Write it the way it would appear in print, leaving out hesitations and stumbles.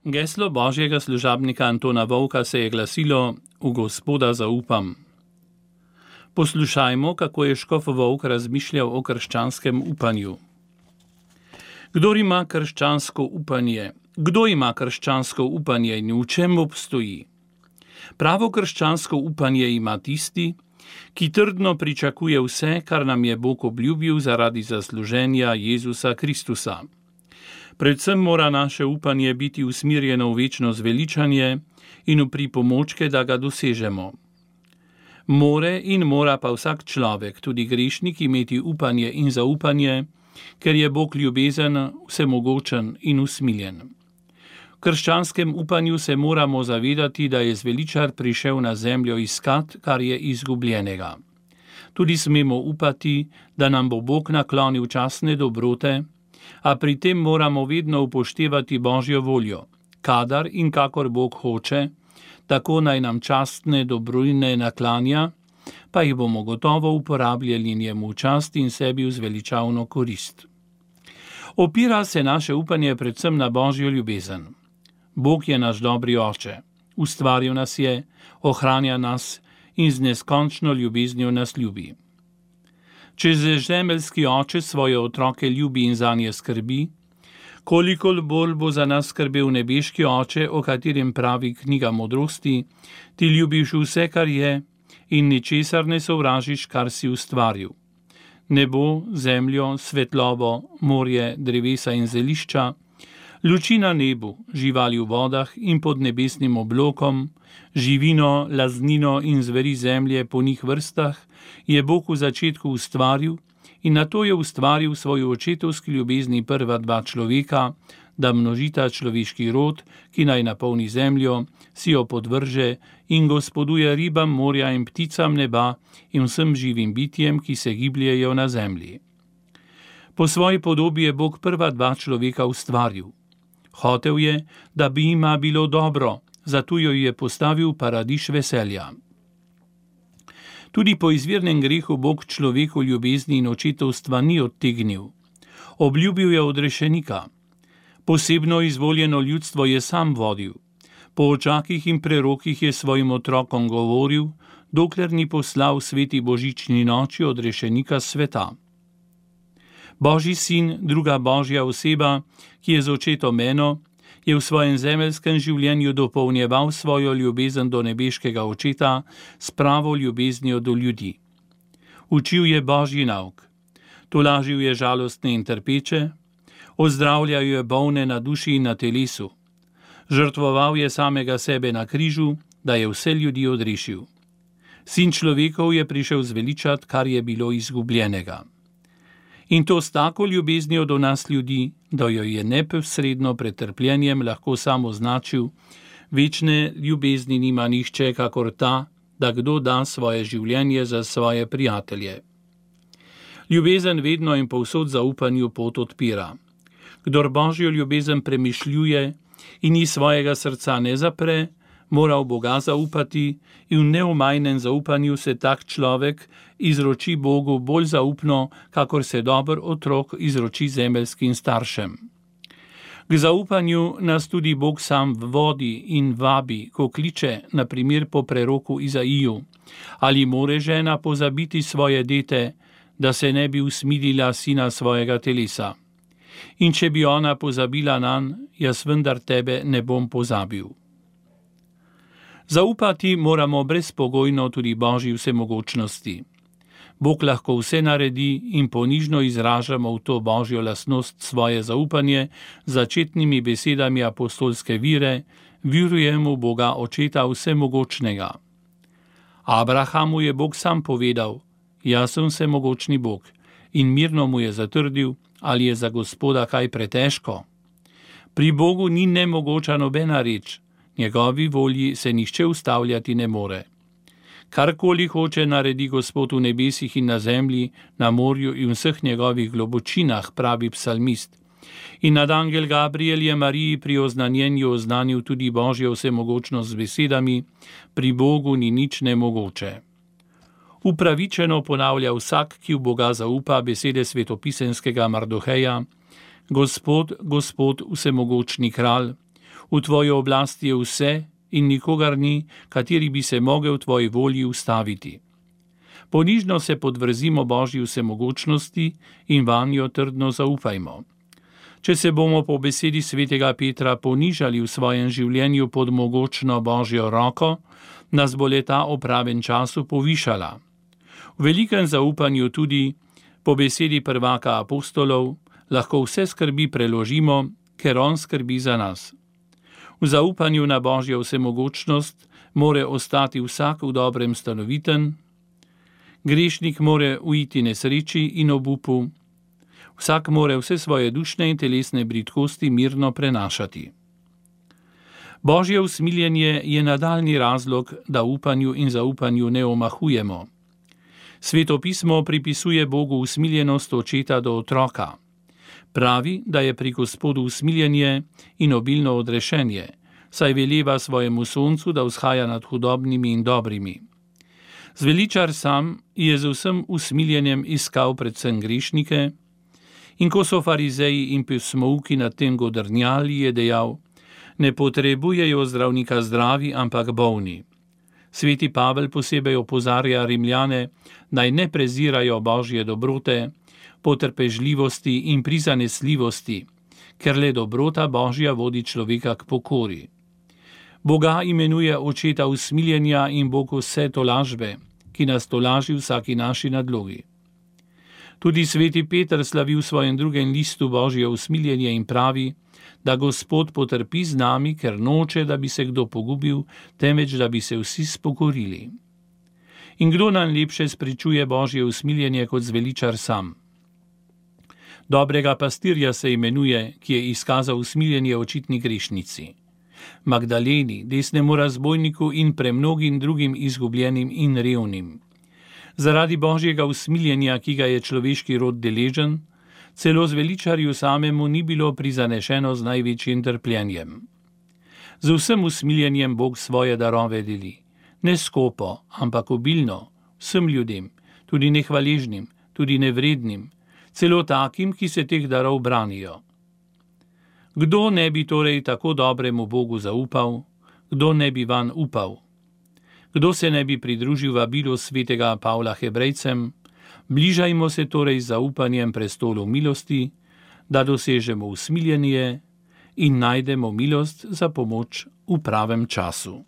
Geslo božjega služabnika Antona Vovka se je glasilo: V Gospoda zaupam. Poslušajmo, kako je škof Vovk razmišljal o krščanskem upanju. Kdo ima krščansko upanje in v čem obstoji? Pravo krščansko upanje ima tisti, ki trdno pričakuje vse, kar nam je Bog obljubil zaradi zasluženja Jezusa Kristusa. Predvsem mora naše upanje biti usmerjeno v večno zveličanje in v pripomočke, da ga dosežemo. Mora pa vsak človek, tudi grešnik, imeti upanje in zaupanje, ker je Bog ljubezen, vsemogočen in usmiljen. V krščanskem upanju se moramo zavedati, da je zveličar prišel na zemljo iskat, kar je izgubljenega. Tudi smemo upati, da nam bo Bog naklonil časne dobrote, a pri tem moramo vedno upoštevati Božjo voljo. Kadar in kakor Bog hoče, tako naj nam častne dobrine naklanja, pa jih bomo gotovo uporabljali njemu v čast in sebi v zveličavno korist. Opira se naše upanje predvsem na Božjo ljubezen. Bog je naš dobri oče, ustvaril nas je, ohranja nas in z neskončno ljubeznijo nas ljubi. Če zemeljski oče svoje otroke ljubi in zanje skrbi, koliko bolj bo za nas skrbel nebeški oče, o katerem pravi knjiga modrosti: ti ljubiš vse, kar je, in ničesar ne sovražiš, kar si ustvaril. Nebo, zemljo, svetlobo, morje, drevesa in zelišča, luči na nebu, živali v vodah in pod nebesnim oblokom, živino, laznino in zveri zemlje po njih vrstah, je Bog v začetku ustvaril in nato je ustvaril svojo očetovski ljubezni prva dva človeka, da množita človeški rod, ki naj napolni zemljo, si jo podvrže in gospoduje ribam morja in pticam neba in vsem živim bitjem, ki se gibljejo na zemlji. Po svoji podobi je Bog prva dva človeka ustvaril. Hotel je, da bi jima bilo dobro, zato jo je postavil v paradiž veselja. Tudi po izvirnem grehu Bog človeku ljubezni in očetovstva ni odtegnil. Obljubil je odrešenika. Posebno izvoljeno ljudstvo je sam vodil. Po očakih in prerokih je svojim otrokom govoril, dokler ni poslal sveti božični noči odrešenika sveta. Božji sin, druga božja oseba, ki je z očetom eno, je v svojem zemeljskem življenju dopolnjeval svojo ljubezen do nebeškega očeta s pravo ljubeznijo do ljudi. Učil je Božji nauk, tolažil je žalostne in trpeče, ozdravljal je bolne na duši in na telesu, žrtvoval je samega sebe na križu, da je vse ljudi odrešil. Sin človekov je prišel zveličat, kar je bilo izgubljenega. In to s tako ljubeznijo do nas ljudi, da jo je neposredno pred trpljenjem lahko sam označil: večne ljubezni nima nihče kakor ta, da kdo da svoje življenje za svoje prijatelje. Ljubezen vedno in povsod zaupanju pot odpira. Kdor Božjo ljubezen premišljuje in ji svojega srca ne zapre, mora v Boga zaupati in v neomajnem zaupanju se tak človek izroči Bogu bolj zaupno, kakor se dober otrok izroči zemeljskim staršem. K zaupanju nas tudi Bog sam vodi in vabi, ko kliče, na primer po preroku Izaiju: ali more žena pozabiti svoje dete, da se ne bi usmilila sina svojega telesa? In če bi ona pozabila nanj, jaz vendar tebe ne bom pozabil. Zaupati moramo brezpogojno tudi Božji vsemogočnosti. Bog lahko vse naredi in ponižno izražamo v to Božjo lastnost svoje zaupanje z začetnimi besedami apostolske vire: verujem v Boga Očeta vsemogočnega. Abrahamu je Bog sam povedal: jaz sem vsemogočni Bog, in mirno mu je zatrdil: ali je za Gospoda kaj pretežko? Pri Bogu ni nemogoča nobena reč, njegovi volji se nihče ustavljati ne more. Karkoli hoče, naredi Gospod v nebesih in na zemlji, na morju in vseh njegovih globočinah, pravi psalmist. In nadangel Gabriel je Mariji pri oznanjenju oznanil tudi Božjo vsemogočnost z besedami: pri Bogu ni nič nemogoče. Upravičeno ponavlja vsak, ki v Boga zaupa, besede svetopisemskega Mardoheja: Gospod, Gospod, vsemogočni kralj, V tvoji oblasti je vse in nikogar ni, kateri bi se mogel v tvoji volji ustaviti. Ponižno se podvrzimo Božji vsemogočnosti in vanjo trdno zaupajmo. Če se bomo po besedi svetega Petra ponižali v svojem življenju pod mogočno Božjo roko, nas bo le-ta o pravem času povišala. V velikem zaupanju tudi, po besedi prvaka apostolov, lahko vse skrbi preložimo, ker on skrbi za nas. V zaupanju na Božjo vsemogočnost more ostati vsak v dobrem stanoviten, grešnik more uiti nesreči in obupu, vsak more vse svoje dušne in telesne bridkosti mirno prenašati. Božje usmiljenje je nadaljni razlog, da upanju in zaupanju ne omahujemo. Sveto pismo pripisuje Bogu usmiljenost očeta do otroka. Pravi, da je pri Gospodu usmiljenje in obilno odrešenje, saj veleva svojemu soncu, da vzhaja nad hudobnimi in dobrimi. Zveličar sam je z vsem usmiljenjem iskal predvsem grešnike, in ko so farizeji in pismouki nad tem godrnjali, je dejal: ne potrebujejo zdravnika zdravi, ampak bolni. Sveti Pavel posebej opozarja Rimljane, naj ne prezirajo Božje dobrote, potrpežljivosti in prizanesljivosti, ker le dobrota Božja vodi človeka k pokori. Boga imenuje očeta usmiljenja in Bog vse tolažbe, ki nas tolaži vsaki naši nadlogi. Tudi sveti Peter slavi v svojem drugem listu Božje usmiljenje in pravi, da Gospod potrpi z nami, ker noče, da bi se kdo pogubil, temveč da bi se vsi spokorili. In kdo nam lepše spričuje Božje usmiljenje kot zveličar sam? Dobrega pastirja se imenuje, ki je izkazal usmiljenje očitni grešnici. Magdaleni, desnemu razbojniku in premnogim drugim izgubljenim in revnim. Zaradi Božjega usmiljenja, ki ga je človeški rod deležen, celo zveličarju samemu ni bilo prizanešeno z največjim trpljenjem. Z vsem usmiljenjem Bog svoje darove deli, ne skopo, ampak obilno, vsem ljudem, tudi nehvaležnim, tudi nevrednim, celo takim, ki se teh darov branijo. Kdo ne bi torej tako dobremu Bogu zaupal, kdo ne bi vanj upal? Kdo se ne bi pridružil vabilu svetega Pavla Hebrejcem? Bližajmo se torej z zaupanjem prestolu milosti, da dosežemo usmiljenje in najdemo milost za pomoč v pravem času.